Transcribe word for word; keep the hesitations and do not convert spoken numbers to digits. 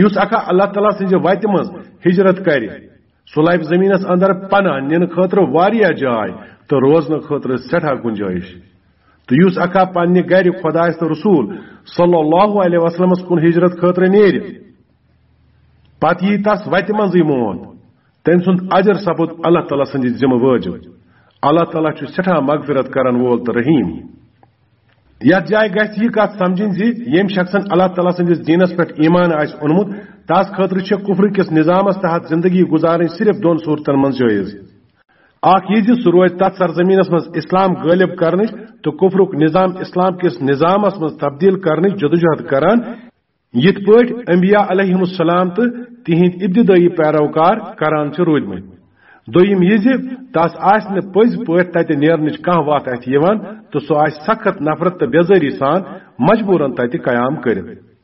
یُس اکھا اللہ تعالیٰ سٕنٛزِ وتہِ منٛز ہجرت کرِ، سُہ لبہِ زمینس اندر پناہ نِنہٕ خٲطرٕ واریاہ جاے تہٕ روزنہٕ خٲطرٕ سٮ۪ٹھاہ گنجٲیش۔ تہٕ یُس اکھا پننہِ گرِ خۄدایس تہٕ رسول صلی اللہ علیہ وسلمس کُن ہجرت خٲطرٕ نیرِ، پتہٕ یی تس وتہِ منٛزٕے موت، تٔمۍ سُنٛد اجر سپُد اللہ تعالیٰ سٕنٛدِ ذمہٕ وٲجب۔ اللہ تعالیٰ چھُ سٮ۪ٹھاہ مغفرت کرن وول تہٕ رحیم۔ یتھ جایہِ گژھِ یہِ کتھ سمجھٕنۍ زِ ییٚمۍ شخصن اللہ تعالیٰ سٕنٛدِس دیٖنس پٮ۪ٹھ ایمان آسہِ اوٚنمُت، تس خٲطرٕ چھِ کفر کِس نظامس تحت زندگی گزارٕنۍ صرف دۄن صورتن منٛز جٲیز۔ اکھ یہِ زِ سُہ روزِ تتھ سرزمینس منٛز اسلام غٲلب کرنٕچ تہٕ کفرُک نظام اسلام کِس نظامس منٛز تبدیل کرنٕچ جدوجہد کران، یِتھ پٲٹھۍ انبیاء علیہم السلام تہٕ تِہنٛدۍ ابتدٲئی پیروکار کران چھِ روٗدمٕتۍ۔ دوٚیِم یہِ زِ تس آسہِ نہٕ پٔزۍ پٲٹھۍ تتہِ نیرنٕچ کانٛہہ وتھ اَتھِ یِوان تہٕ سُہ آسہِ سخت نفرت تہٕ بیزٲری سان مجبوراً تتہِ قیام کٔرِتھ۔